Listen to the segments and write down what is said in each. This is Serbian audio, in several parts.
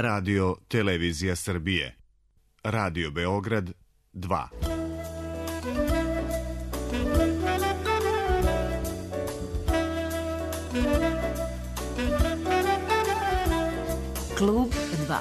Radio Televizija Srbije. Radio Beograd 2. Klub 2.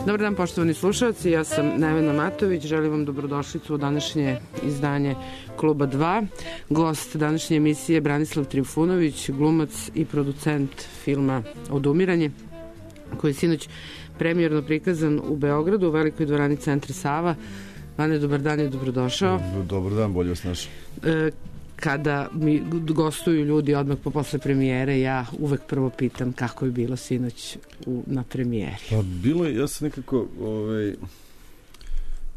Dobar dan, poštovani slušalci, ja sam Nevena Matović, želim vam dobrodošlicu u današnje izdanje Kluba 2. Gost današnje emisije je Branislav Trifunović, glumac i producent filma Odumiranje, koji je sinoć premijerno prikazan u Beogradu, u Velikoj dvorani Centra Sava. Vane, dobar dan i dobrodošao. Dobar dan, bolje vas našao. Kada mi gostuju ljudi odmah posle premijere, ja uvek prvo pitam kako je bilo sinoć na premijeri. Pa bilo je, ja sam nekako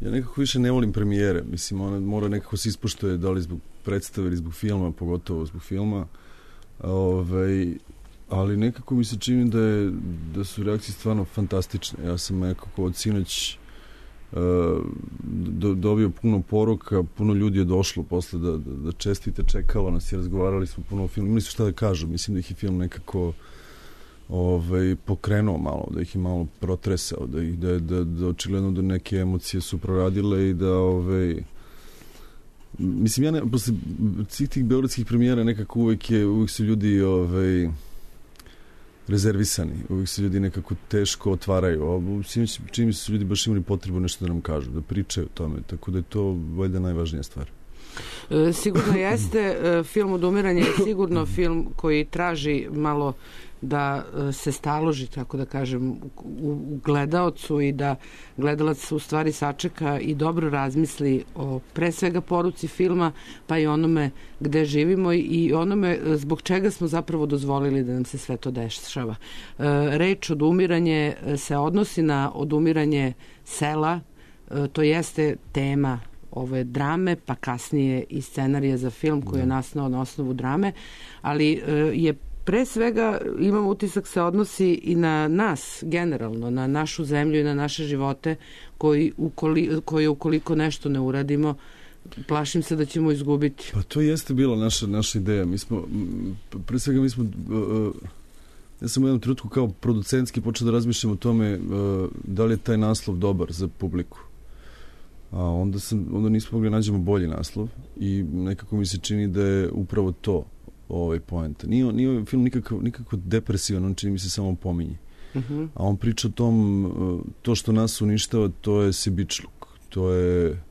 ja nekako više ne volim premijere, mislim, ona mora nekako se ispoštuje, da li zbog predstave ili zbog filma, pogotovo zbog filma, ali nekako mi se čini da su reakcije stvarno fantastične. Ja sam nekako od sinoć dobio puno poruka, puno ljudi je došlo posle da čestite, čekalo nas i razgovarali smo puno o filmu. Imali su šta da kažu, mislim da ih je film nekako pokrenuo malo, da ih je malo protresao, da očigledno da neke emocije su proradile i da mislim, ja posle svih tih beogradskih premijera nekako uvek su ljudi rezervisani, uvijek se ljudi nekako teško otvaraju. Čini mi se ljudi baš imali potrebu nešto da nam kažu, da pričaju o tome, tako da je to valjda najvažnija stvar. Sigurno jeste. Film Odumiranje je sigurno film koji traži malo da se staloži, tako da kažem, u gledaocu i da gledalac u stvari sačeka i dobro razmisli o pre svega poruci filma, pa i onome gde živimo i onome zbog čega smo zapravo dozvolili da nam se sve to dešava. Reč Odumiranje se odnosi na odumiranje sela, to jeste tema ove drame, pa kasnije i scenarija za film koji je nastao na osnovu drame, ali je pre svega, imam utisak, se odnosi i na nas generalno, na našu zemlju i na naše živote koji ukoliko nešto ne uradimo, plašim se da ćemo izgubiti. Pa to jeste bila naša ideja. Pre svega ja sam u jednom trenutku kao producentski počeo da razmišljam o tome da li je taj naslov dobar za publiku. A onda nismo mogli nađemo bolji naslov i nekako mi se čini da je upravo to poenta. Nije film nikako depresivan, on čini mi se samo pominje. A on priča o tom, to što nas uništava, to je sebičluk, to je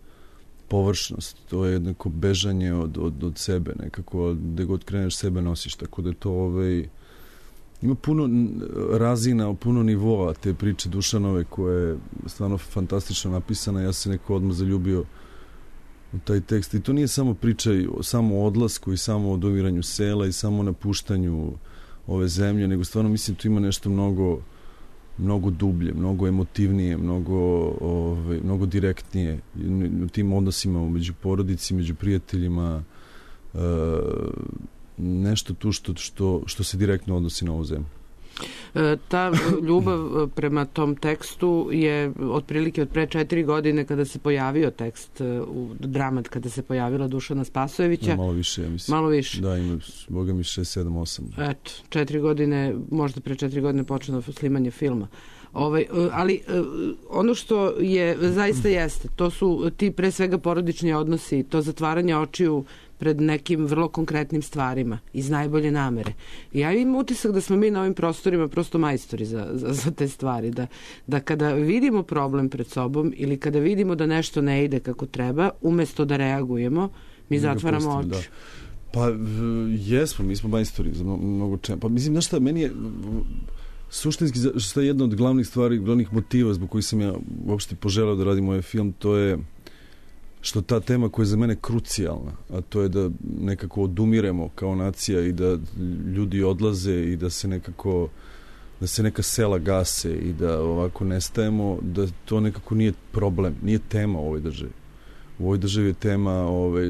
površnost, to je jednako bežanje od sebe, nekako gde god kreneš sebe nosiš, tako da je to ima puno razina, puno nivoa te priče Dušanove koja je stvarno fantastično napisana. Ja se neko odmah zaljubio u taj tekst i to nije samo priča samo o odlasku i samo o odumiranju sela i samo o napuštanju ove zemlje, nego stvarno mislim tu ima nešto mnogo dublje, mnogo emotivnije, mnogo direktnije u tim odnosima među porodici, među prijateljima, nešto tu što se direktno odnosi na ovu zemlju. Ta ljubav prema tom tekstu je otprilike od pre 4 godine kada se pojavio tekst u Dramat, kada se pojavila Dušana Spasojevića. Malo više, ja mislim. Malo više. Da, ima, boga mi 6, 7, 8. Eto, 4 godine, možda pre 4 godine počelo snimanje filma. Ali ono što je zaista jeste, to su ti pre svega porodični odnosi, to zatvaranje očiju pred nekim vrlo konkretnim stvarima iz najbolje namere. Ja imam utisak da smo mi na ovim prostorima prosto majstori za te stvari, da kada vidimo problem pred sobom ili kada vidimo da nešto ne ide kako treba, umesto da reagujemo, mi zatvaramo oči. Da. Pa jesmo, mi smo majstori za mnogo čemu. Pa mislim, znaš šta, meni je suštinski, što je jedna od glavnih stvari, glavnih motiva zbog kojih sam ja uopšte poželeo da radim ovaj film, to je što ta tema koja je za mene krucijalna, a to je da nekako odumiremo kao nacija i da ljudi odlaze i da se nekako da se neka sela gase i da ovako nestajemo, da to nekako nije problem, nije tema u ovoj državi. U ovoj državi je tema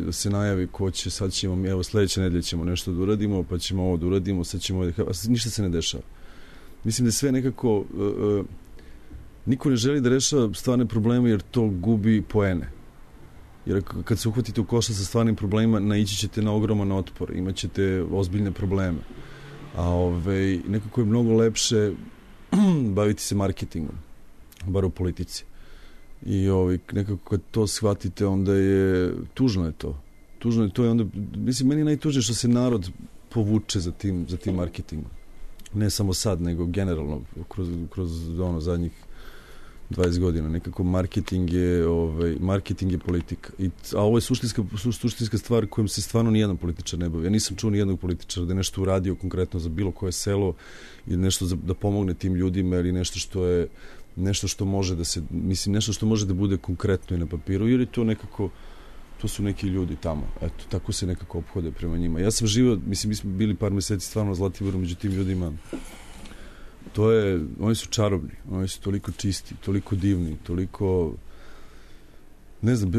da se najavi ko će, sad ćemo, evo sledeće nedelje ćemo nešto da uradimo, pa ćemo ovo da uradimo, sad ćemo ništa se ne dešava. Mislim da sve nekako niko ne želi da rešava stvarne probleme jer to gubi poene. Jer kad se uhvatite u koštac sa stvarnim problemima, naići ćete na ogroman otpor, imat ćete ozbiljne probleme. A nekako je mnogo lepše baviti se marketingom, bar u politici. I nekako kad to shvatite, onda je tužno je to. Tužno je to i onda, mislim, meni je najtužnije što se narod povuče za tim marketingom. Ne samo sad, nego generalno kroz zadnjih 20 godina. Nekako marketing je politika. A ovo je suštinska stvar kojom se stvarno nijedan političar ne bavi. Ja nisam čuo nijednog političara da je nešto uradio konkretno za bilo koje selo i nešto da pomogne tim ljudima ili nešto što može da se, mislim, nešto što može da bude konkretno i na papiru, jer je to nekako, to su neki ljudi tamo. Eto, tako se nekako ophode prema njima. Ja sam živio, mislim, mi smo bili par meseci stvarno na Zlatiboru među tim ljudima. Oni su čarobni, oni su toliko čisti, toliko divni, toliko, ne znam,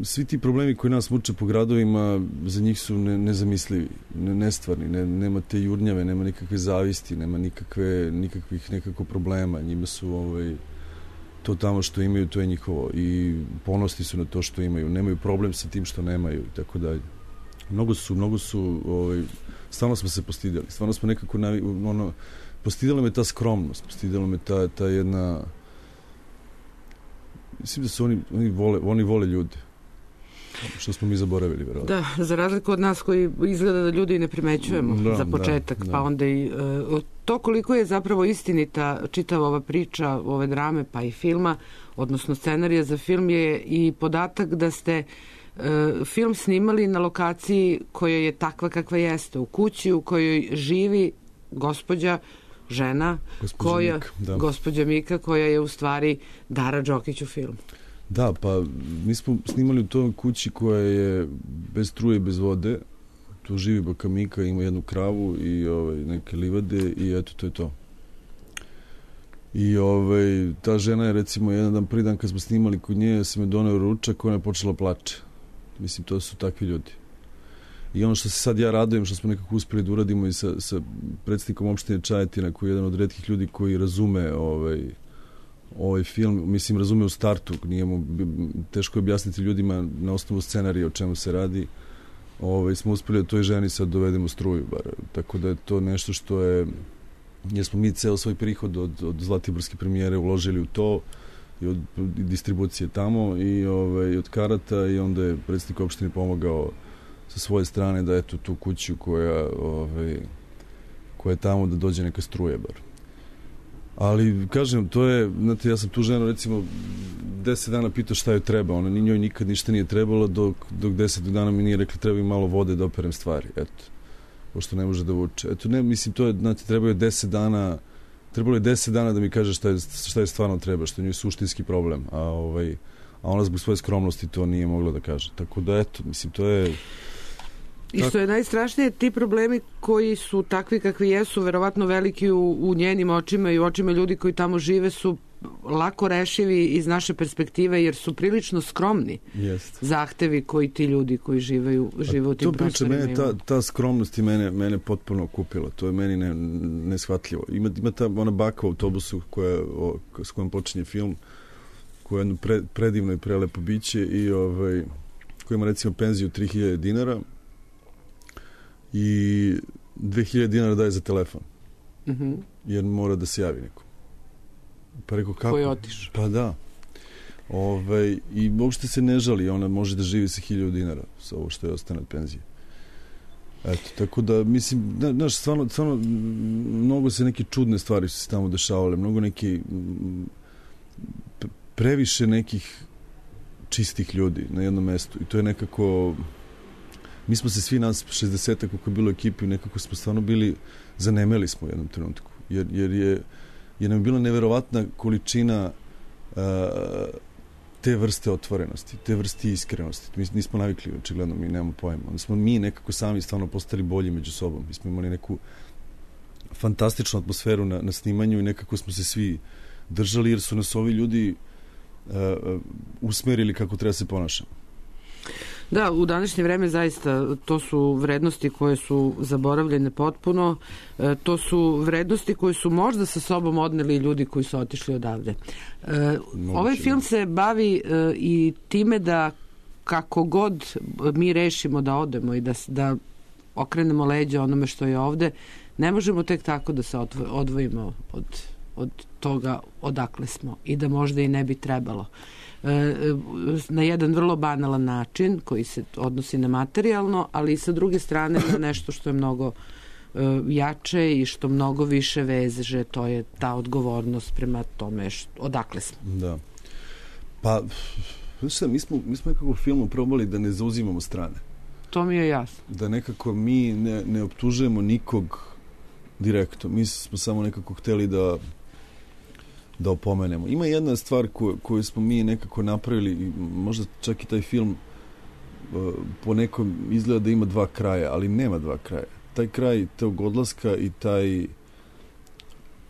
svi ti problemi koji nas muče po gradovima, za njih su nezamislivi, nestvarni, nema te jurnjave, nema nikakve zavisti, nema nikakvih nekako problema, njima su to tamo što imaju, to je njihovo i ponosni su na to što imaju, nemaju problem sa tim što nemaju i tako dalje. Mnogo su, stvarno smo se postidjeli, stvarno smo nekako postidjela me ta skromnost, postidjela me ta jedna, mislim da su oni vole ljude, što smo mi zaboravili, verovatno. Da, za razliku od nas koji izgleda da ljudi ne primećujemo za početak, pa onda i to koliko je zapravo istinita čitava ova priča, ove drame, pa i filma, odnosno scenarija za film, je i podatak da ste film snimali na lokaciji koja je takva kakva jeste, u kući u kojoj živi gospođa, žena, gospođa Mika, koja je u stvari Dara Đokić u filmu. Da, pa mi smo snimali u toj kući koja je bez struje i bez vode. Tu živi baka Mika, ima jednu kravu i neke livade i eto, to je to. I ta žena je, recimo, jedan dan, prvi dan kad smo snimali kod nje, se me doneo ručak, ona je počela plače. Mislim, to su takvi ljudi. I ono što se sad ja radujem, što smo nekako uspeli da uradimo i sa predsjednikom opštine Čajetina, koji je jedan od retkih ljudi koji razume ovaj film, mislim, razume u startu, nije mu teško objasniti ljudima na osnovu scenarija o čemu se radi, smo uspeli da toj ženi sad dovedemo struju, bar. Tako da je to nešto što je, jer smo mi ceo svoj prihod od Zlatiborske premijere uložili u to, i od distribucije tamo, i od karata, i onda je predsjednik opštine pomogao sa svoje strane da eto tu kuću koja je tamo da dođe neka struje bar. Ali, kažem, to je, znate, ja sam tu ženu, recimo, 10 dana pitao šta joj treba, ona njoj nikad ništa nije trebalo, dok 10 dana mi nije rekla treba mi malo vode da operem stvari, eto, pošto ne može da vuče. Eto, ne, mislim, to je, znate, trebalo je 10 dana da mi kaže šta je stvarno treba, što je njoj suštinski problem, a ona zbog svoje skromnosti to nije mogla da kaže. Tako da, eto, mislim, to je... I što je najstrašnije, ti problemi koji su takvi kakvi jesu, verovatno veliki u njenim očima i u očima ljudi koji tamo žive, su lako rešivi iz naše perspektive, jer su prilično skromni zahtevi koji ti ljudi koji žive u tim prostorima. To priča, ta skromnost i mene potpuno kupila. To je meni neshvatljivo. Ima ta ona baka u autobusu s kojom počinje film, koja je jedno predivno i prelepo biće i koja ima, recimo, penziju 3000 dinara i 2000 dinara daje za telefon. Jer mora da se javi neko. Pa rekao, kako? Koji je otišao. Pa da. I uopšte se ne žali, ona može da živi sa 1000 dinara sa ovo što je ostane od penzije. Eto, tako da, mislim, znaš, stvarno, mnogo se neke čudne stvari su se tamo dešavale, mnogo neki previše nekih čistih ljudi na jednom mestu i to je nekako... Mi smo se svi nas 60-ak kako je bilo ekipi, nekako smo stvarno bili, zanemeli smo u jednom trenutku, jer nam je bila neverovatna količina te vrste otvorenosti, te vrste iskrenosti. Mi nismo navikli, očigledno, mi nemamo pojma. Onda smo mi nekako sami stvarno postali bolji među sobom. Mi smo imali neku fantastičnu atmosferu na snimanju i nekako smo se svi držali, jer su nas ovi ljudi usmerili kako treba se ponašamo. Da, u današnje vreme zaista to su vrednosti koje su zaboravljene potpuno. To su vrednosti koje su možda sa sobom odneli ljudi koji su otišli odavde. Ovaj film se bavi i time da kako god mi rešimo da odemo i da okrenemo leđa onome što je ovde, ne možemo tek tako da se odvojimo od toga odakle smo i da možda i ne bi trebalo. Na jedan vrlo banalan način koji se odnosi na materijalno, ali i sa druge strane na nešto što je mnogo jače i što mnogo više veže, to je ta odgovornost prema tome odakle smo. Da. Pa, mi smo nekako u filmu probali da ne zauzimamo strane. To mi je jasno. Da nekako mi ne optužujemo nikog direktno. Mi smo samo nekako hteli da opomenemo. Ima jedna stvar koju smo mi nekako napravili i možda čak i taj film po nekom izgleda da ima dva kraja, ali nema dva kraja. Taj kraj tog odlaska i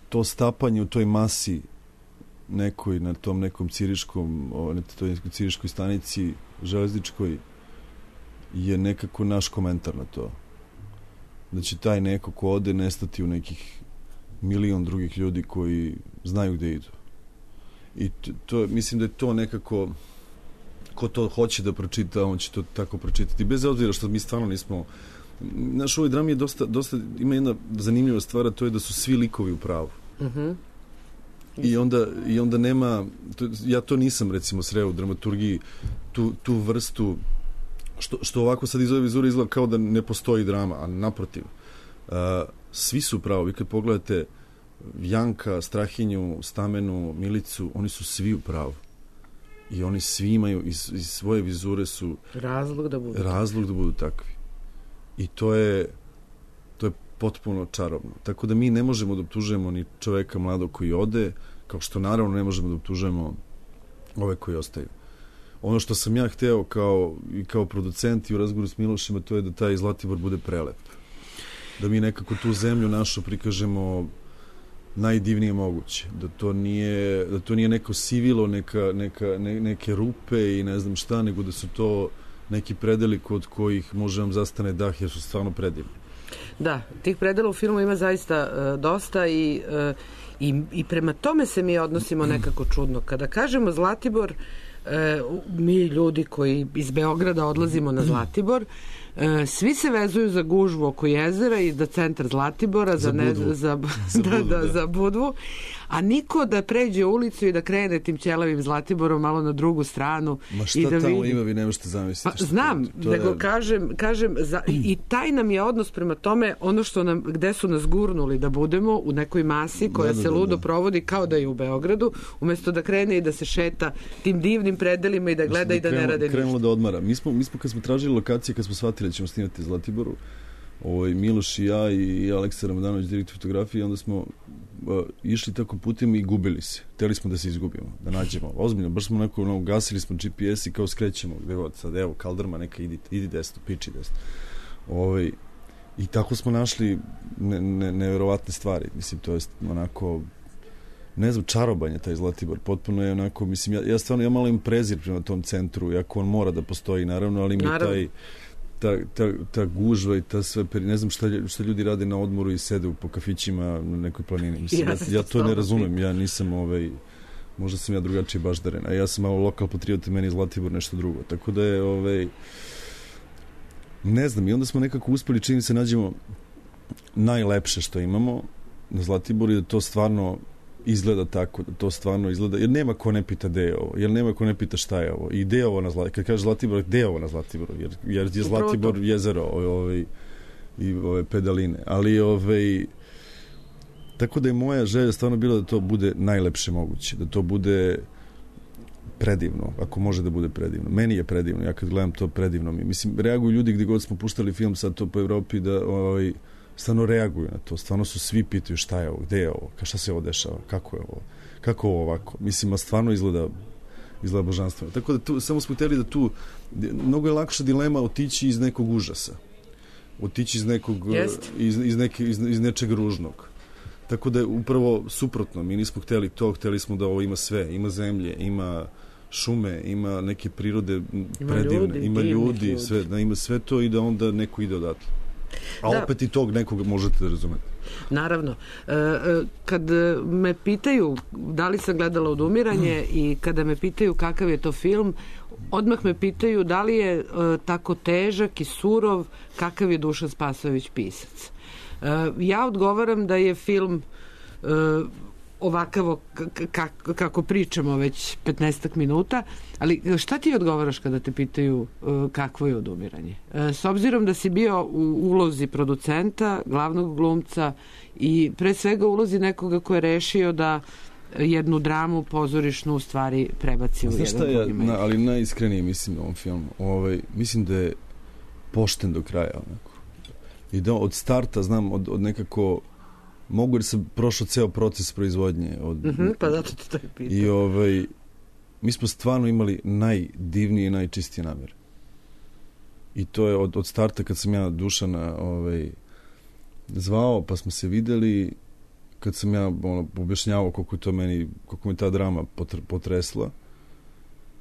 to stapanje u toj masi nekoj na tom nekom ciriškoj stanici železničkoj je nekako naš komentar na to. Da će taj neko ko ode nestati u nekih milion drugih ljudi koji znaju gde idu. I to, mislim da je to nekako, ko to hoće da pročita, on će to tako pročitati. Bez obzira što mi stvarno nismo... Naš ovoj drami je dosta ima jedna zanimljiva stvar, to je da su svi likovi u pravu. Uh-huh. I onda nema... Ja to nisam, recimo, sreo u dramaturgiji, tu vrstu... Što ovako sad iz ove vizure izgleda kao da ne postoji drama, a naprotiv. Svi su pravo. Vi kad pogledate Janka, Strahinju, Stamenu, Milicu, oni su svi u pravu. I oni svi imaju iz svoje vizure su razlog da budu takvi. I to je potpuno čarobno. Tako da mi ne možemo da optužujemo ni čoveka mladog koji ode, kao što naravno ne možemo da optužujemo ove koji ostaju. Ono što sam ja hteo kao producent i u razgovoru s Milošima, to je da taj Zlatibor bude prelep. Da mi nekako tu zemlju našu prikažemo najdivnije moguće. Da to nije neko sivilo, neke rupe i ne znam šta, nego da su to neki predeli kod kojih može vam zastane dah, jer su stvarno predivni. Da, tih predela u filmu ima zaista dosta i prema tome se mi odnosimo nekako čudno. Kada kažemo Zlatibor, mi ljudi koji iz Beograda odlazimo na Zlatibor, svi se vezuju za gužvu oko jezera i da centar Zlatibora za Budvu, a niko da pređe ulicu i da krene tim ćelavim Zlatiborom malo na drugu stranu. Ma šta da tamo ima, vi ne možete zamisliti. Pa, znam, nego kažem i taj nam je odnos prema tome, ono što gde su nas gurnuli da budemo u nekoj masi koja se ludo provodi kao da je u Beogradu, umesto da krene i da se šeta tim divnim predelima i da gleda i da ne rade ništa. Krenulo da odmara. Mi smo kad smo tražili lokacije, kad smo shvatili da ćemo snimati Zlatiboru, Miloš i ja i Aleksa Ramadanović, direktor fotografije, onda smo išli tako putem i gubili se. Hteli smo da se izgubimo, da nađemo. Ozbiljno, baš smo ugasili smo GPS i kao skrećemo gde god sad, evo, Kaldrma, neka idi desno, piči desno. I tako smo našli neverovatne stvari. Mislim, to je onako, ne znam, čarobanje taj Zlatibor. Potpuno je onako, mislim, ja stvarno, ja malo im prezir prema tom centru, iako on mora da postoji, naravno, ali mi je ta gužva i ta sve, ne znam šta ljudi rade na odmoru i sede po kafićima na nekoj planini. Mislim, ja to ne razumem, ja nisam možda sam ja drugačiji baždaren, a ja sam malo lokal patriot i meni Zlatibor nešto drugo. Tako da je ne znam, i onda smo nekako uspeli, čini se, nađemo najlepše što imamo na Zlatiboru i da to stvarno izgleda tako, da to stvarno izgleda, jer nema ko ne pita gde je ovo, jer nema ko ne pita šta je ovo, i gde je ovo na Zlatiboru, kad kaže Zlatibor, gde je ovo na Zlatiboru, jer je Zlatibor jezero i ove pedaline, ali tako da je moja želja stvarno bila da to bude najlepše moguće, da to bude predivno, ako može da bude predivno. Meni je predivno, ja kad gledam to predivno mi. Mislim, reaguju ljudi gde god smo puštali film sad to po Evropi da stvarno reaguju na to, stvarno su svi pitaju šta je ovo, gde je ovo, šta se ovo dešava, kako je ovo, kako ovo ovako. Mislim, a stvarno izgleda izgleda božanstveno. Tako da tu, samo smo htjeli da tu, mnogo je lakša dilema otići iz nekog užasa. Otići iz nekog, iz nečeg ružnog. Tako da je upravo suprotno. Mi nismo htjeli to, htjeli smo da ovo ima sve. Ima zemlje, ima šume, ima neke prirode predivne, ima ljudi, sve, da ima sve to i da onda neko ide odatle. A opet i tog nekog možete da razumete. Naravno. Kad me pitaju da li sam gledala Odumiranje i kada me pitaju kakav je to film, odmah me pitaju da li je tako težak i surov kakav je Dušan Spasojević pisac. Ja odgovaram da je film ovakavo kako pričamo već 15 minuta, ali šta ti odgovaraš kada te pitaju kakvo je Odumiranje? S obzirom da si bio u ulozi producenta, glavnog glumca i pre svega ulozi nekoga ko je rešio da jednu dramu pozorišnu u stvari prebaci u jedan drugi medij. Ali najiskrenije mislim u ovom filmu. Mislim da je pošten do kraja. Onako. I da od starta, znam, od nekako mogu jer sam prošao ceo proces proizvodnje. Pa zato ti to je pitao. I mi smo stvarno imali najdivnije i najčistije namere. I to je od starta kad sam ja Dušana zvao, pa smo se videli, kad sam ja objašnjavao koliko me ta drama potresla,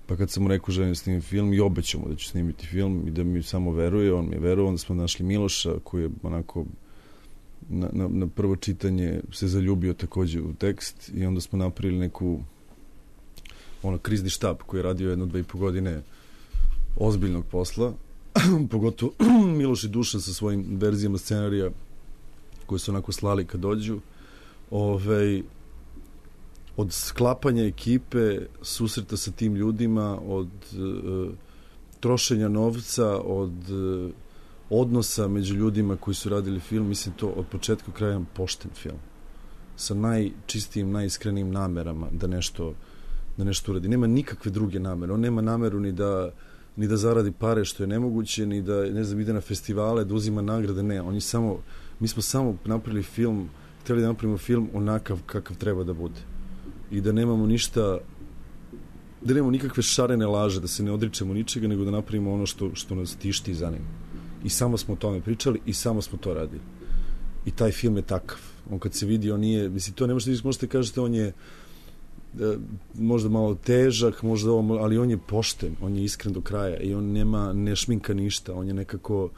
pa kad sam mu rekao želim snimiti film i obećao mu da ću snimiti film i da mi samo veruje, on mi je verovao, onda smo našli Miloša koji je onako na prvo čitanje se zaljubio takođe u tekst i onda smo napravili neku krizni štab koji je radio 1-2,5 godine ozbiljnog posla, pogotovo Miloš i Dušan sa svojim verzijama scenarija koje su onako slali kad dođu. Od sklapanja ekipe, susreta sa tim ljudima, od trošenja novca, od odnosa među ljudima koji su radili film, mislim to od početka do kraja pošten film. Sa najčistijim, najiskrenijim namerama da nešto uradi. Nema nikakve druge namere. On nema nameru ni da zaradi pare što je nemoguće, ni da, ne znam, ide na festivale, da uzima nagrade. Ne, mi smo samo napravili film, htjeli da napravimo film onakav kakav treba da bude. I da nemamo ništa, da nemamo nikakve šarene laže, da se ne odričemo ničega, nego da napravimo ono što nas tišti i zanima. I samo smo o tome pričali i samo smo to radili. I taj film je takav. On kad se vidi, on nije, mislim, to ne možete kažete, on je možda malo težak, možda ovo, ali on je pošten, on je iskren do kraja i on ne šminka ništa, on je nekako,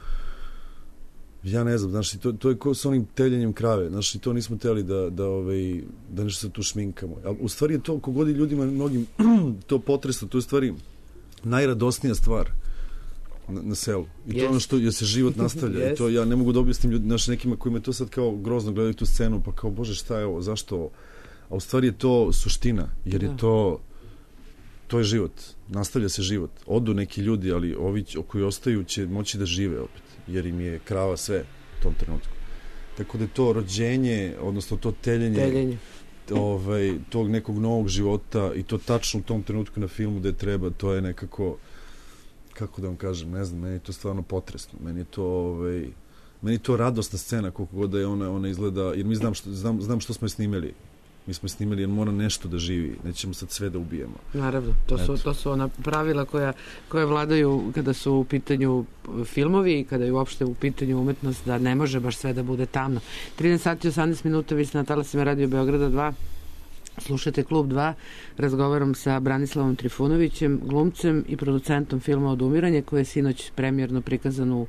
ja ne znam, znači, to je kao s onim teljenjem krave, znači, to nismo teli da nešto se tu šminkamo. A u stvari je to, kogod je ljudima mnogim to potresa, to je u stvari najradosnija stvar na selu. I to je ono što se život nastavlja. I to ja ne mogu da objasnim nekima koji me to sad kao grozno gledaju tu scenu, pa kao, bože, šta je ovo, zašto ovo? A u stvari je to suština, jer je to je život. Nastavlja se život. Odu neki ljudi, ali ovi koji ostaju će moći da žive opet, jer im je krava sve u tom trenutku. Tako da je to rođenje, odnosno to teljenje. Tog nekog novog života i to tačno u tom trenutku na filmu da je treba, to je nekako, kako da vam kažem, ne znam, meni je to stvarno potresno. Meni je to radosna scena, koliko god da je ona izgleda, jer mi znam što smo je snimali. Mi smo snimali jer mora nešto da živi, nećemo sad sve da ubijemo. Naravno, to su ona pravila koja vladaju kada su u pitanju filmovi i kada je uopšte u pitanju umetnost, da ne može baš sve da bude tamno. 13 sati 18 minuta, vi ste na talasima Radio Beograda 2. Slušate Klub 2, razgovaram sa Branislavom Trifunovićem, glumcem i producentom filma Odumiranje, koji je sinoć premijerno prikazan u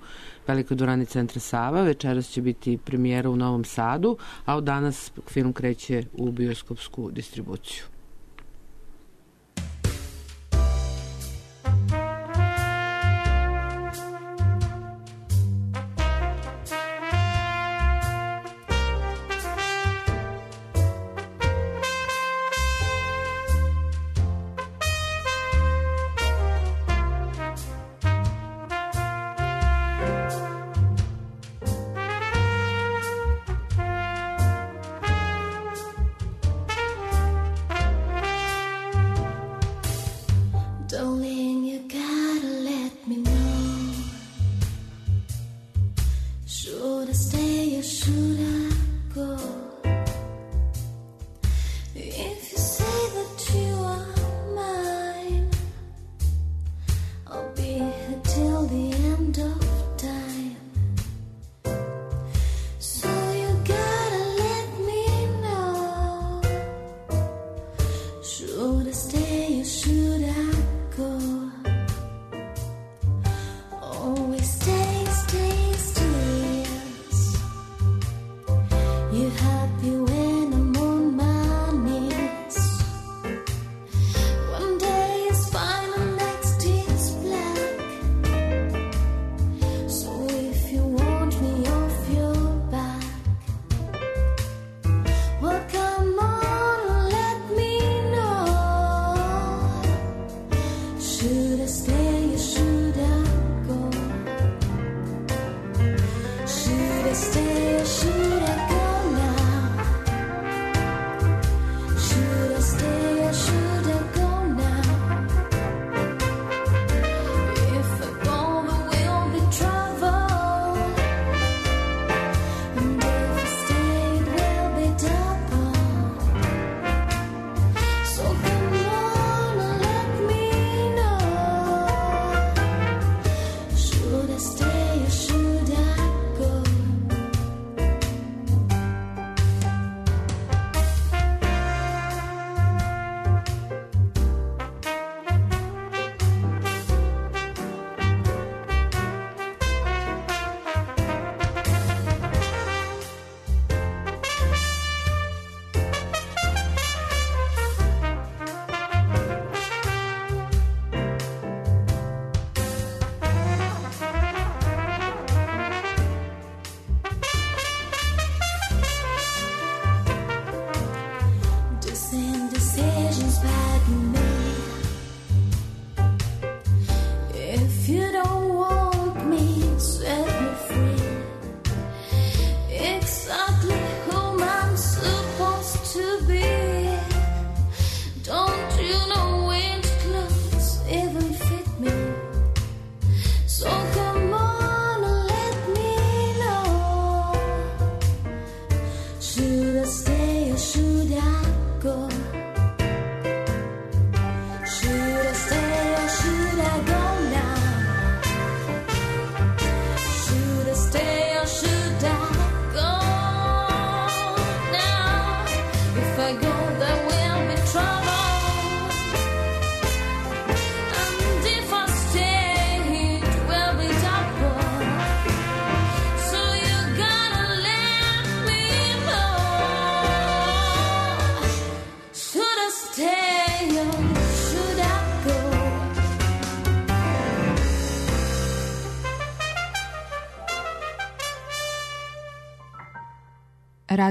Velikoj dvorani Centra Sava. Večeras će biti premijera u Novom Sadu, a od danas film kreće u bioskopsku distribuciju. If you say that you are mine,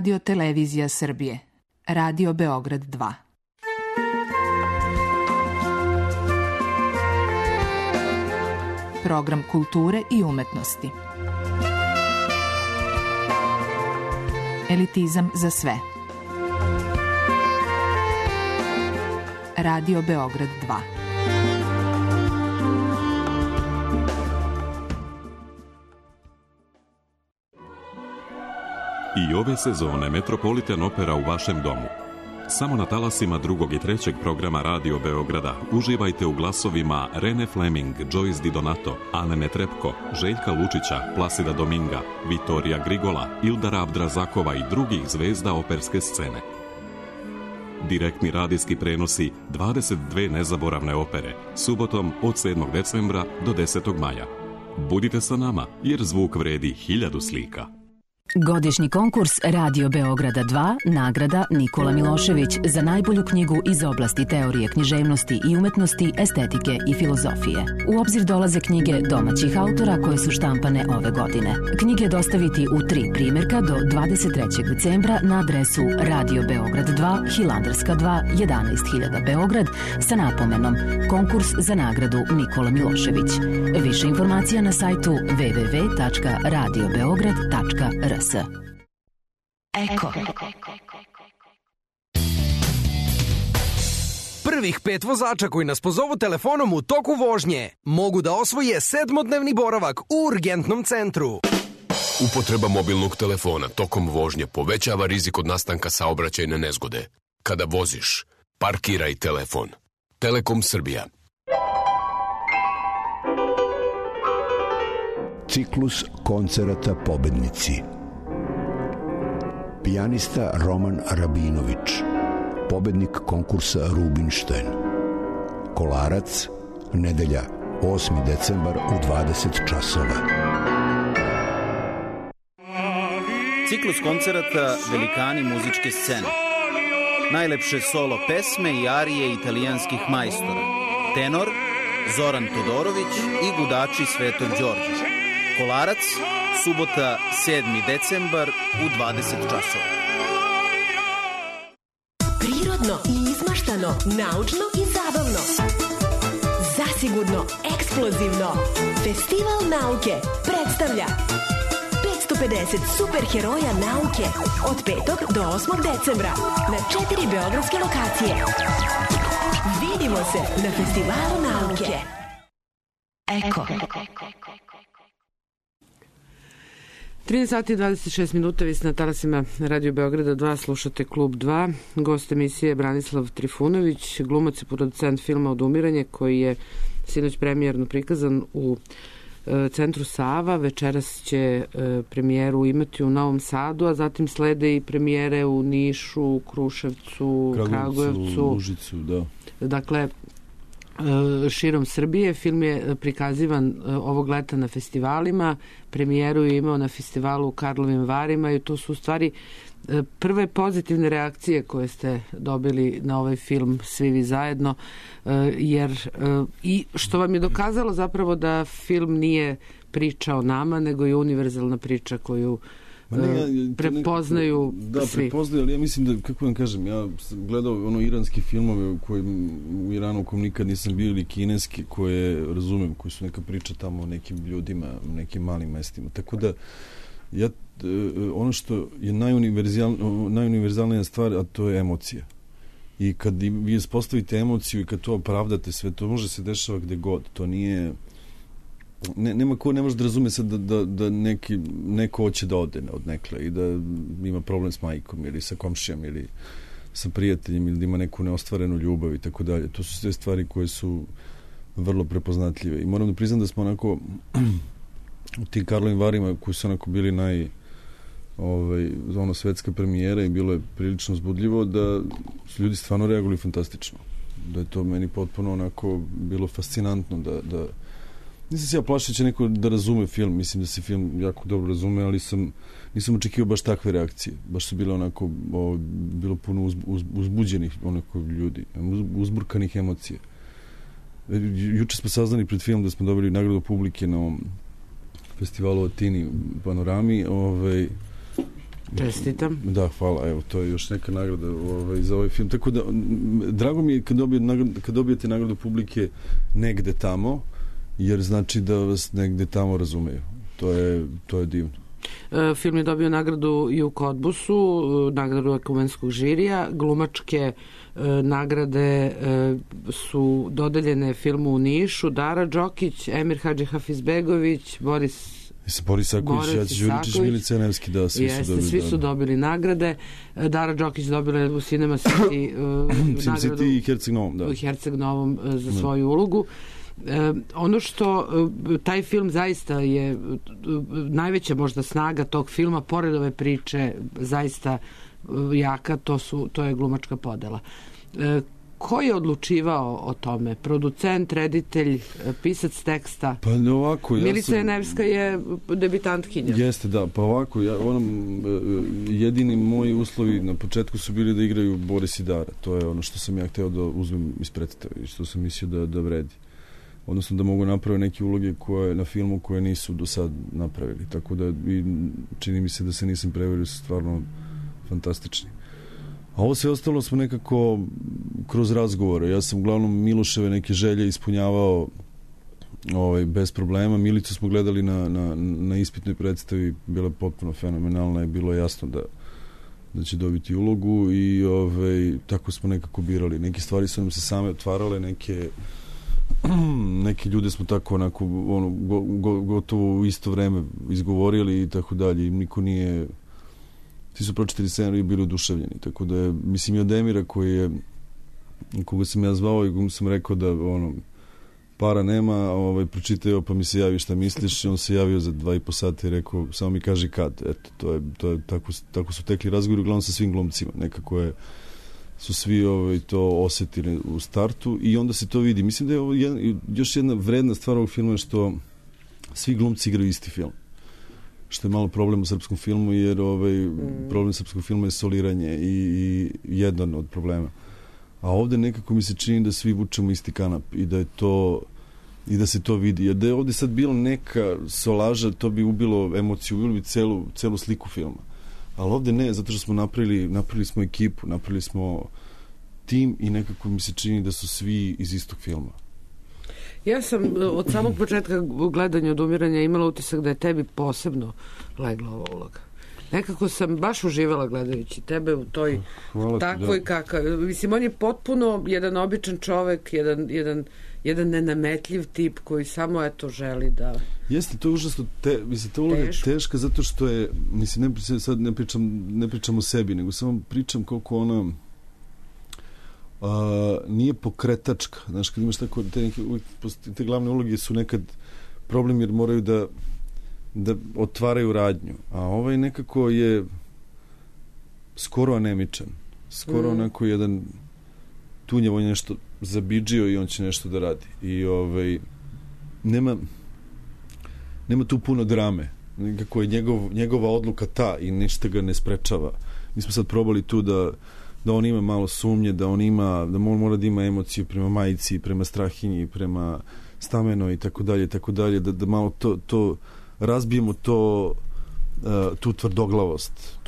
Radio Televizija Srbije. Radio Beograd 2. Program kulture i umetnosti. Elitizam za sve. Radio Beograd 2. I ove sezone Metropolitan Opera u vašem domu. Samo na talasima drugog i trećeg programa Radio Beograda uživajte u glasovima Rene Fleming, Joyce Di Donato, Ane Netrepko, Željka Lučića, Plasida Dominga, Vitorija Grigola, Ildara Abdrazakova i drugih zvezda operske scene. Direktni radijski prenosi 22 nezaboravne opere, subotom od 7. decembra do 10. maja. Budite sa nama, jer zvuk vredi 1000 slika. Godišnji konkurs Radio Beograda 2, nagrada Nikola Milošević za najbolju knjigu iz oblasti teorije književnosti i umetnosti, estetike i filozofije. U obzir dolaze knjige domaćih autora koje su štampane ove godine. Knjige dostaviti u 3 primjerka do 23. decembra na adresu Radio Beograd 2, Hilandarska 2, 11.000 Beograd sa napomenom Konkurs za nagradu Nikola Milošević. Više informacija na sajtu www.radiobeograd.rs. Eko. Prvih 5 vozača koji nas pozovu telefonom u toku vožnje mogu da osvoje 7-dnevni boravak u urgentnom centru. Upotreba mobilnog telefona tokom vožnje povećava rizik od nastanka saobraćajne nezgode. Kada voziš, parkiraj telefon. Telekom Srbija. Ciklus koncerata Pobednici. Pijanista Roman Rabinović, pobednik konkursa Rubinštajn. Kolarac, nedelja, 8. decembar u 20 časova. Ciklus koncerata Velikani muzičke scene. Najlepše solo pesme i arije italijanskih majstora. Tenor Zoran Todorović i gudači Svetog Đorđa. Kolarac, subota 7. decembar u 20 časova. Prirodno i izmaštano, naučno i zabavno. zasigurno eksplozivno. Festival nauke predstavlja 550 superheroja nauke od 5. do 8. decembra na 4 beogradske lokacije. Vidimo se na Festivalu nauke. Eko. 13 sati i 26 minuta, vi ste na talasima Radio Beograda 2, slušate Klub 2. Gost emisije Branislav Trifunović, glumac i producent filma Odumiranje, koji je sinoć premijerno prikazan u Centru Sava. Večeras će premijeru imati u Novom Sadu, a zatim slede i premijere u Nišu, Kruševcu, Kragujevcu, Užicu, da. Dakle, širom Srbije. Film je prikazivan ovog leta na festivalima, premijeru je imao na festivalu u Karlovim Varima i to su u stvari prve pozitivne reakcije koje ste dobili na ovaj film svi vi zajedno, jer i što vam je dokazalo zapravo da film nije priča o nama, nego je univerzalna priča koju prepoznaju svi. Prepoznaju, ali ja mislim da, kako vam kažem, ja sam gledao iranski filmove u Iranu u kom nikad nisam bio, ili kineski, koje razumem, koji su neka priča tamo o nekim ljudima, u nekim malim mestima. Tako da, ono što je najuniverzalnija stvar, a to je emocija. I kad vi ispostavite emociju i kad to opravdate sve, to može se dešava gde god. To nije... Nema ko ne može da razume sad da neko hoće da ode od nekle i da ima problem s majkom ili sa komšijom ili sa prijateljem ili da ima neku neostvarenu ljubav i tako dalje. To su sve stvari koje su vrlo prepoznatljive. I moram da priznam da smo onako u tim Karlovim Varima koji su onako bili svetska premijera i bilo je prilično uzbudljivo, da su ljudi stvarno reagovali fantastično. Da je to meni potpuno onako bilo fascinantno da nisam se ja plašio da će neko da razume film, mislim da se film jako dobro razume, ali nisam očekivao baš takve reakcije. Baš su bile onako, bilo puno uzbuđenih onako ljudi, uzburkanih emocija. Juče smo saznali pred film da smo dobili nagradu publike na ovom festivalu u Atini, Panorami. Čestitam. Da, hvala, evo, to je još neka nagrada za ovaj film. Tako da, drago mi je kad dobijete nagradu publike negde tamo, jer znači da vas negde tamo razumeju. To je divno. Film je dobio nagradu i u Kodbusu, nagradu ekumenskog žirija. Glumačke nagrade su dodeljene filmu u Nišu. Dara Đokić, Emir Hadžihafizbegović, Boris Isaković, Đuričić, Milica Nevski, da, svi su dobili nagrade. Dara Đokić dobila je u Cinema City nagradu i Herceg Novom, da. U Herceg Novom za svoju ulogu. Ono što taj film zaista je najveća možda snaga tog filma, pored ove priče zaista jaka, to je glumačka podela. Ko je odlučivao o tome? Producent, reditelj, pisac teksta? Pa ovako, Milica Nevska je debitantkinja. Jeste, da, pa ovako, jedini moji uslovi na početku su bili da igraju Boris i Dara. To je ono što sam ja hteo da uzmem iz predstave i što sam mislio da vredi. Odnosno da mogu napraviti neke uloge na filmu koje nisu do sad napravili. Tako da čini mi se da se nisam preverio, su stvarno fantastični. A ovo sve ostalo smo nekako kroz razgovore. Ja sam uglavnom Miloševe neke želje ispunjavao bez problema. Milicu smo gledali na ispitnoj predstavi, bila je potpuno fenomenalna i bilo je jasno da će dobiti ulogu i tako smo nekako birali. Neke stvari su nam se same otvarale, neke ljude smo tako onako gotovo u isto vreme izgovorili i tako dalje. Niko nije... Svi su pročitali scenarij i bili oduševljeni. Tako da je, mislim, i od Emira koga sam ja zvao i komu sam rekao da para nema, pročitaj ovo pa mi se javi šta misliš, i on se javio za 2,5 sata i rekao samo mi kaži kad. Eto, to je tako su tekli razgovori uglavnom sa svim glumcima. Nekako su svi to osetili u startu i onda se to vidi. Mislim da je ovo još jedna vredna stvar ovog filma, što svi glumci igraju isti film. Što je malo problem u srpskom filmu, jer problem srpskog filma je soliranje i jedan od problema. A ovde nekako mi se čini da svi vučemo isti kanap i da se to vidi. Jer da je ovde sad bilo neka solaža, to bi ubilo emociju, ubilo bi celu sliku filma. Ali ovde ne, zato što smo napravili smo ekipu, napravili smo tim i nekako mi se čini da su svi iz istog filma. Ja sam od samog početka gledanja Odumiranja imala utisak da je tebi posebno legla ova uloga. Nekako sam baš uživala gledajući tebe u toj takvoj kakav. Mislim, on je potpuno jedan običan čovek, jedan nenametljiv tip koji samo eto želi da... Jeste, to je užasno, mislim, ta uloga je teška zato što je, mislim, sad ne pričam o sebi, nego samo pričam koliko ona nije pokretačka. Znaš, kad imaš tako, te glavne uloge su nekad problem jer moraju da otvaraju radnju. A ovaj nekako je skoro anemičan. Skoro onako jedan tunjevo nešto zabidžio i on će nešto da radi. I nema tu puno drame. Nekako je njegova odluka ta i ništa ga ne sprečava. Mi smo sad probali tu da on ima malo sumnje, da on mora da ima emociju prema majici, prema Strahinji, prema Stamenoj i tako dalje, da malo to razbijemo tu tvrdoglavost,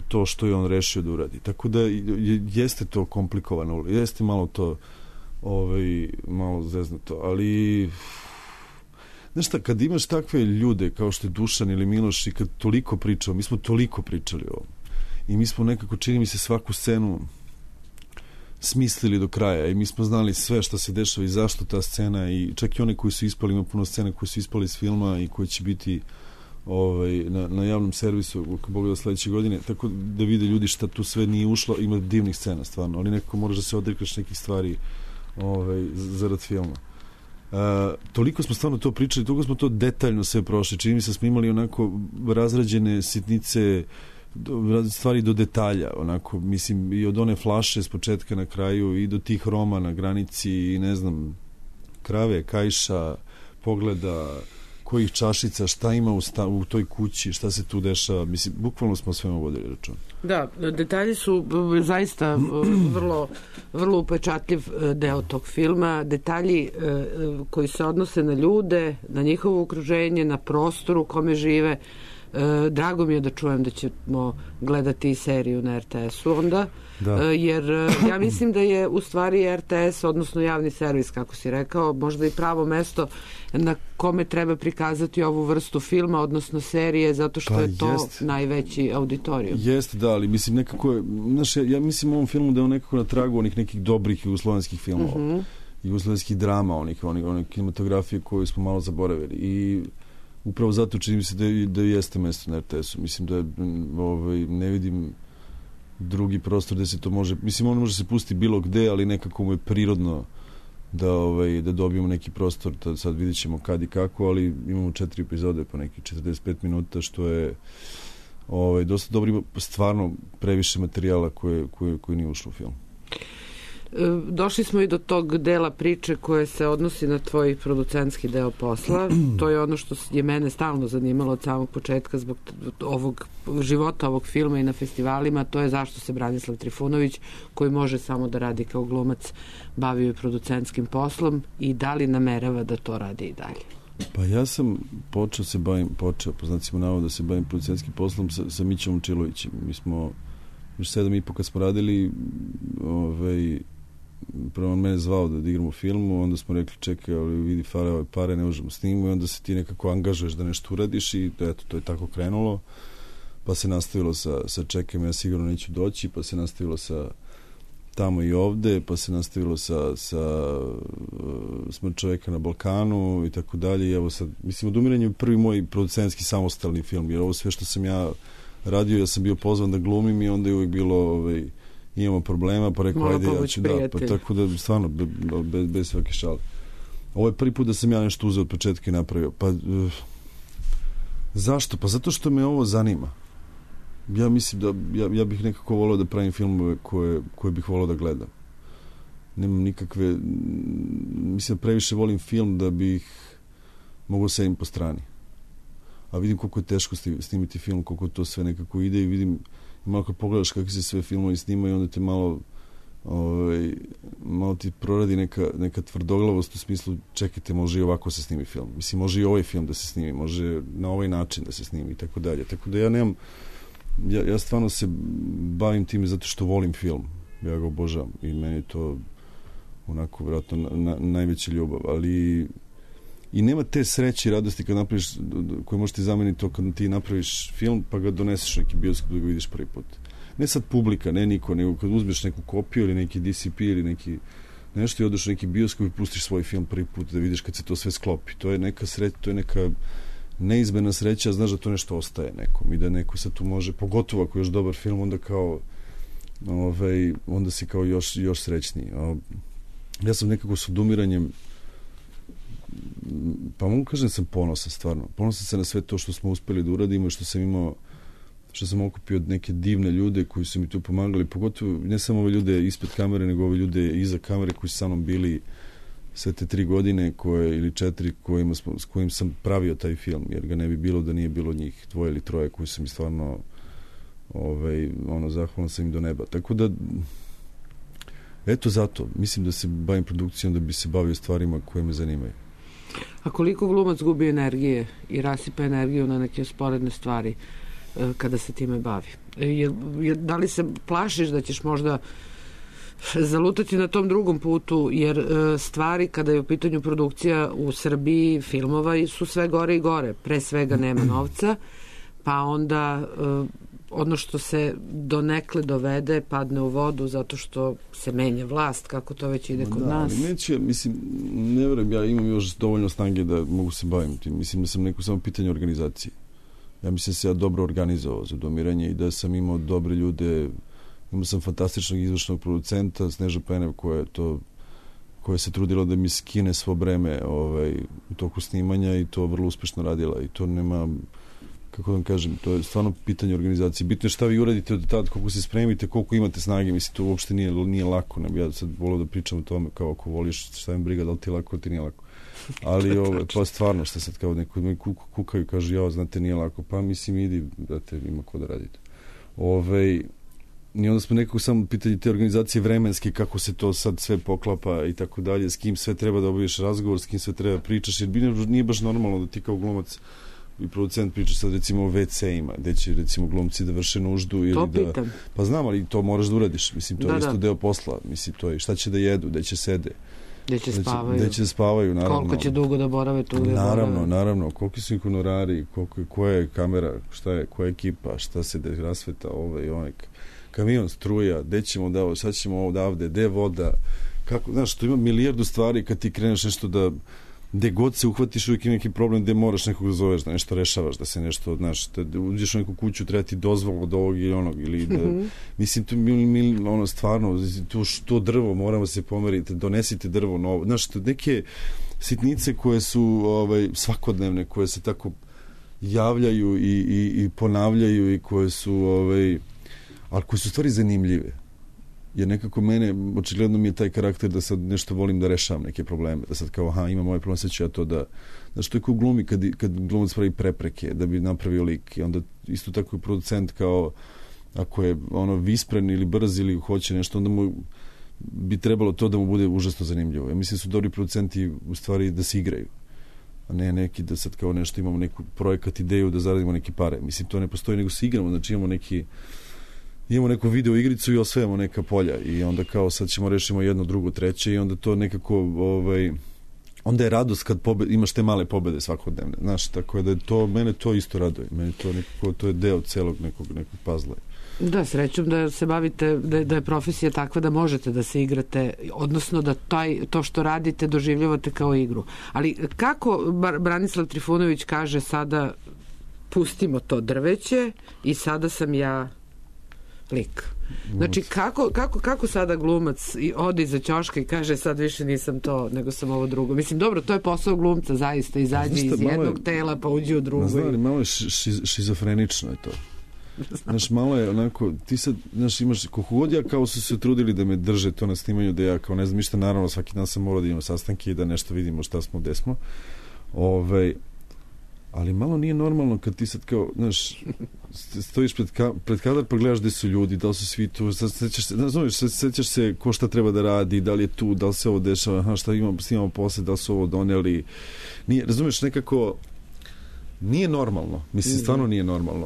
to što je on rešio da uradi. Tako da jeste to komplikovano, jeste malo to malo zeznuto, ali znaš šta, kad imaš takve ljude kao što je Dušan ili Miloš i kad toliko pričamo, mi smo toliko pričali o ovom i mi smo nekako, čini mi se, svaku scenu smislili do kraja i mi smo znali sve što se dešava i zašto ta scena i čak i one koji su ispali, ima puno scena koji su ispali iz filma i koji će biti na javnom servisu ako Bog da sledeće godine, tako da vide ljudi šta tu sve nije ušlo, ima divnih scena stvarno, ali nekako moraš da se odrekaš nekih stvari zarad filma. Toliko smo stvarno to pričali, toliko smo to detaljno sve prošli, čini mi se smo imali onako razrađene sitnice, stvari do detalja, onako, mislim, i od one flaše s početka na kraju i do tih Roma na granici i ne znam, krave, kajša, pogleda, kojih čašica, šta ima u toj kući, šta se tu dešava, mislim, bukvalno smo svema vodili račun. Da, detalji su zaista vrlo upečatljiv deo tog filma, detalji koji se odnose na ljude, na njihovo okruženje, na prostoru u kome žive. Drago mi je da čujem da ćemo gledati seriju na RTS-u onda, jer ja mislim da je u stvari RTS, odnosno javni servis, kako si rekao, možda i pravo mesto na kome treba prikazati ovu vrstu filma, odnosno serije, zato što je to najveći auditorijum. Jeste, da, ali mislim nekako je, znaš, ja mislim u ovom filmu da je on nekako na tragu onih nekih dobrih jugoslovenskih filmova, jugoslovenskih drama, onih kinematografije koju smo malo zaboravili i upravo zato čini mi se da jeste mesto na RTS-u. Mislim da ne vidim drugi prostor gde se to može... Mislim, on može se pustiti bilo gde, ali nekako mu je prirodno da dobijemo neki prostor. Sad vidjet ćemo kad i kako, ali imamo 4 epizode po neki 45 minuta, što je dosta dobro. Ima stvarno previše materijala koji nije ušlo u film. Došli smo i do tog dela priče koje se odnosi na tvoj producentski deo posla. To je ono što je mene stalno zanimalo od samog početka zbog ovog života ovog filma i na festivalima. To je zašto se Branislav Trifunović, koji može samo da radi kao glumac, bavio i producentskim poslom i da li namerava da to radi i dalje? Pa ja sam počeo po znacima navoda da se bavim producentskim poslom sa Mićom Momčilovićem. Mi smo još 7,5 kad smo radili prvo on mene zvao da igram u filmu, onda smo rekli čekaj, ali vidi pare ne možemo snimati i onda se ti nekako angažuješ da nešto uradiš i eto, to je tako krenulo, pa se nastavilo sa čekaj, ja sigurno neću doći, pa se nastavilo sa tamo i ovde, pa se nastavilo sa Smrt čoveka na Balkanu i tako dalje i evo sad, mislim, Odumiranje je prvi moj producentski samostalni film, jer ovo sve što sam ja radio, ja sam bio pozvan da glumim i onda je uvijek bilo imamo problema, pa rekao, ajde, ja ću pa tako da, stvarno, bez svake šale. Ovo je prvi put da sam ja nešto uzeo od početka i napravio. Pa, zašto? Pa zato što me ovo zanima. Ja mislim da, ja bih nekako volio da pravim filmove koje bih volio da gledam. Nemam nikakve, mislim da previše volim film da bih mogao sedim po strani. A vidim koliko je teško snimiti film, koliko to sve nekako ide i vidim, malo kad pogledaš kakvi se sve filmovi snimaju, onda te malo ti proradi neka tvrdoglavost u smislu, čekajte, može i ovako se snimi film. Mislim, može i ovaj film da se snimi, može na ovaj način da se snimi i tako dalje. Tako da ja nemam, ja stvarno se bavim time zato što volim film. Ja ga obožavam i meni to onako vjerojatno najveća ljubav, ali i nema te sreće i radosti kad napraviš, koje možeš ti zameniti to kad ti napraviš film pa ga doneseš u neki bioskop da ga vidiš prvi put. Ne sad publika, ne niko, nego kad uzmeš neku kopiju ili neki DCP ili neki nešto i odeš u neki bioskop i pustiš svoj film prvi put da vidiš kad se to sve sklopi. To je neka sreća, to je neka neizmjerna sreća, znaš da to nešto ostaje nekom i da neko sad tu može, pogotovo ako je još dobar film, onda kao onda si kao još srećniji. Ja sam nekako s odumiranjem, pa mogu kažem da sam ponosan, stvarno. Ponosan sam na sve to što smo uspeli da uradimo i što sam okupio od neke divne ljude koji su mi tu pomagali, pogotovo ne samo ove ljude ispred kamere, nego ove ljude iza kamere koji su sa mnom bili sve te 3 godine ili 4 s kojim sam pravio taj film, jer ga ne bi bilo da nije bilo njih 2 ili 3 koji su mi stvarno zahvalan sam im do neba. Tako da eto zato, mislim da se bavim produkcijom da bi se bavio stvarima koje me zanimaju. A koliko glumac gubi energije i rasipa energiju na neke sporedne stvari kada se time bavi? Da li se plašiš da ćeš možda zalutati na tom drugom putu, jer stvari kada je u pitanju produkcija u Srbiji filmova su sve gore i gore, pre svega nema novca, pa onda ono što se donekle dovede padne u vodu zato što se menja vlast, kako to već ide kod nas. Ali neće, mislim, ne vjerujem, ja imam još dovoljno snage da mogu se bavim tim. Mislim da sam neko samo pitanje organizacije. Ja mislim da se ja dobro organizovao za Odumiranje i da sam imao dobre ljude. Imao sam fantastičnog izvršnog producenta Sneža Penev koja se trudila da mi skine svo breme u toku snimanja i to vrlo uspešno radila i to nema, kako da vam kažem, to je stvarno pitanje organizacije. Bitno je šta vi uradite od tada, koliko se spremite, koliko imate snage, mislim, to uopšte nije lako. Ja sad volio da pričam o tome kao ako voliš, šta im briga, da li ti lako, ti nije lako. Ali to je stvarno što sad kao neko kukaju i kažu, znate, nije lako. Pa mislim, idi, brate, ima ko da radite. I onda smo nekako samo pitanje te organizacije vremenske, kako se to sad sve poklapa i tako dalje, s kim sve treba da obaviš razgovor, s kim sve treba pričaš, jer nije baš normalno da ti kao glumac i producent pričaš sad recimo o WC-ima, gde će recimo glumci da vrše nuždu ili to pitam. Pa znam, ali to moraš da uradiš, mislim, to je isto deo posla, mislim, to je šta će da jedu, gde će sede, gde će spavaju, naravno. Koliko će dugo da borave tu gde naravno, koliki su ih honorari, koja je kamera, šta je, koja je ekipa, šta se rasveta, kamion, struja, gde ćemo da, sad ćemo odavde, gde voda, kako, znaš, to ima milijardu stvari kad ti kreneš nešto da, gde god se uhvatiš uvijek ima neki problem gde moraš nekog da zoveš, da nešto rešavaš, da se nešto, znaš, da uđeš u neku kuću, treba ti dozvolu od ovog ili onog, ili da, mislim, to stvarno, to drvo, moramo se pomeriti, donesite drvo novo, znaš, neke sitnice koje su svakodnevne, koje se tako javljaju i ponavljaju i koje su, ali koje su stvari zanimljive. Jer nekako mene, očigledno mi je taj karakter da sad nešto volim da rešavam neke probleme, da sad kao, imam ovaj problem, sad ću ja to da, znaš, to je kao glumi kad glumac pravi prepreke da bi napravio lik i onda isto tako je producent kao, ako je vispren ili brz ili hoće nešto, onda mu bi trebalo to da mu bude užasno zanimljivo. Ja mislim da su dobri producenti u stvari da se igraju, a ne neki da sad kao nešto imamo neku projekat, ideju da zaradimo neke pare. Mislim, to ne postoji, nego se igramo, znači imamo neku video igricu i osvajamo neka polja i onda kao sad ćemo rešimo jedno, drugo, treće i onda to nekako onda je radost kad imaš te male pobede svakodnevne, znaš, tako da mene to isto raduje, mene to nekako, to je deo celog nekog pazla. Da, srećom da se bavite, da je profesija takva da možete da se igrate, odnosno da to što radite doživljavate kao igru. Ali kako Branislav Trifunović kaže sada pustimo to drveće i sada sam ja lik. Znači, kako sada glumac ode iza ćoška i kaže sad više nisam to, nego sam ovo drugo. Mislim, dobro, to je posao glumca, zaista, izađe iz jednog tela pa uđe u drugo. Znam, malo je šizofrenično je to. Znaš, malo je onako, ti sad, znaš, imaš, koliko god ja kao su se trudili da me drže to na snimanju, da ja kao ne znam ništa, naravno svaki dan sam morao da imam sastanke i da nešto vidimo šta smo, gde smo. Ali malo nije normalno kad ti sad kao, znaš, stojiš pred kadar pa gledaš gde su ljudi, da li su svi tu, sećaš se ko šta treba da radi, da li je tu, da li se ovo dešava, šta snimamo posle, da li su ovo doneli. Nije, razumiješ, nekako nije normalno, mislim, stvarno nije normalno,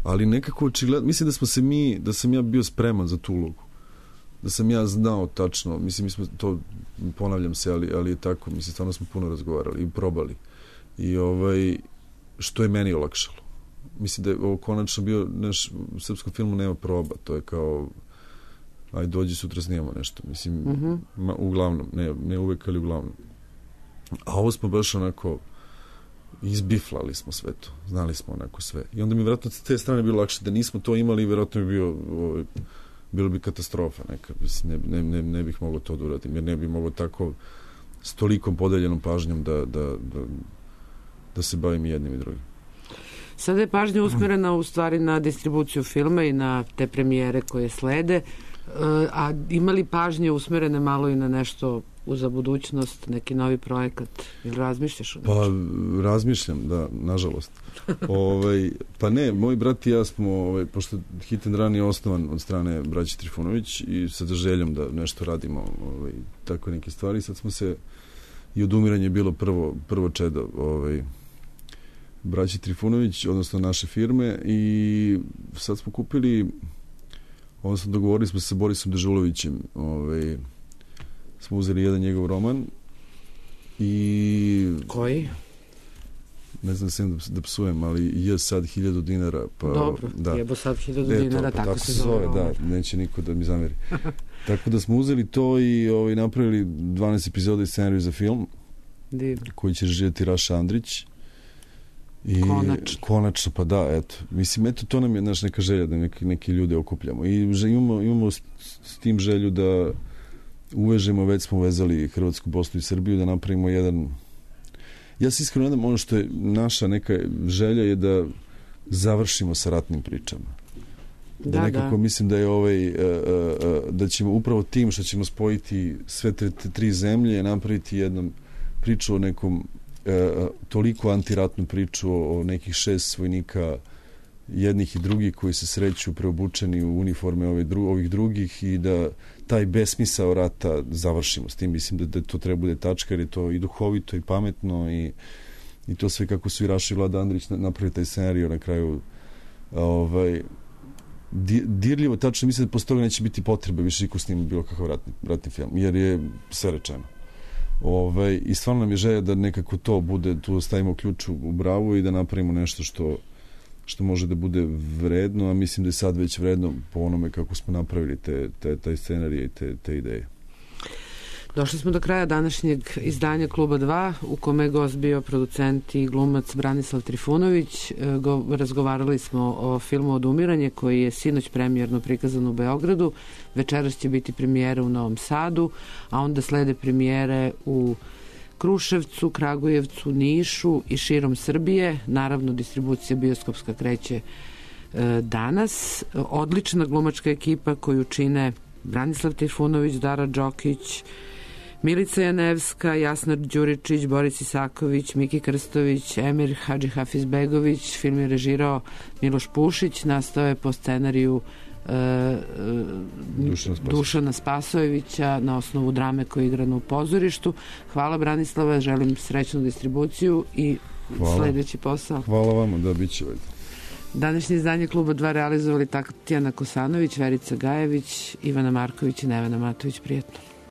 ali nekako očigledno, mislim da sam ja bio spreman za tu ulogu. da sam ja znao tačno, mislim, mi smo to, ponavljam se, ali je tako, mislim, stvarno smo puno razgovarali i probali. I što je meni olakšalo. Mislim da je ovo konačno bio, u srpskom filmu nema proba, to je kao, aj dođi sutra snijemo nešto, mislim, uglavnom, ne uvek, ali uglavnom. A ovo smo baš onako, izbiflali smo sve to, znali smo onako sve. I onda mi vjerojatno s te strane bilo lakše, da nismo to imali, vjerojatno bi bilo bi katastrofa neka, ne bih mogao to da uradim, jer ne bih mogao tako s tolikom podeljenom pažnjom da se bavim i jednim i drugim. Sada je pažnja usmerena u stvari na distribuciju filma i na te premijere koje slede, a imali pažnje usmerene malo i na nešto za budućnost, neki novi projekat, ili razmišljaš o nešto? Pa razmišljam, da, nažalost. Pa ne, moj brat i ja smo, pošto Hit and Run je osnovan od strane braće Trifunović i sa željom da nešto radimo, tako neke stvari, sad smo se, i Odumiranje je bilo prvo čedo braći Trifunović, odnosno naše firme, i sad smo kupili, odnosno dogovorili smo se sa Borisom Dežulovićem, smo uzeli jedan njegov roman i... Koji? Ne znam sam da psujem, ali je sad 1000 dinara. Pa, dobro, da. Jebo sad 1000 dinara, tako se zove. Da, neće niko da mi zameri. Tako da smo uzeli to i napravili 12 epizoda i scenariju za film, koji će režirati Raša Andrić. I konačno, pa da, eto. Mislim, eto, to nam je neka želja da neki ljude okupljamo. I imamo s tim želju da uvežemo, već smo uvezali Hrvatsku, Bosnu i Srbiju, da napravimo jedan... Ja se iskreno nadam, ono što je naša neka želja je da završimo sa ratnim pričama. Da nekako mislim da je da ćemo upravo tim što ćemo spojiti sve tri zemlje, napraviti jednu priču o nekom toliko antiratnu priču o nekih 6 vojnika, jednih i drugih, koji se sreću preobučeni u uniforme ovih drugih, i da taj besmisao rata završimo s tim. Mislim da to treba bude tačka, jer je to i duhovito i pametno i to sve kako su i Raša i Vlada Andrić napravili taj scenario na kraju dirljivo, tačno. Mislim da posle toga neće biti potrebe više niko snima bilo kakav ratni film, jer je sve rečeno. I stvarno nam je želja da nekako to bude, tu stavimo ključ u bravu i da napravimo nešto što može da bude vredno, a mislim da je sad već vredno po onome kako smo napravili taj scenarij i te ideje. Došli smo do kraja današnjeg izdanja Kluba 2, u kome je gost bio producent i glumac Branislav Trifunović. Razgovarali smo o filmu Odumiranje, koji je sinoć premijerno prikazan u Beogradu. Večeras će biti premijera u Novom Sadu, a onda slede premijere u Kruševcu, Kragujevcu, Nišu i širom Srbije. Naravno, distribucija bioskopska kreće danas. Odlična glumačka ekipa koju čine Branislav Trifunović, Dara Đokić, Milica Janevska, Jasna Đuričić, Boris Isaković, Miki Krstović, Emir Hadžihafizbegović. Film je režirao Miloš Pušić, nastao je po scenariju Dušana Spasojevića na osnovu drame koja je igrana u pozorištu. Hvala Branislava, želim srećnu distribuciju i sledeći posao. Hvala vama, da bit će. Današnje izdanje Kluba 2 realizovali Tatjana Kosanović, Verica Gajević, Ivana Marković i Nevena Matović. Prijetno.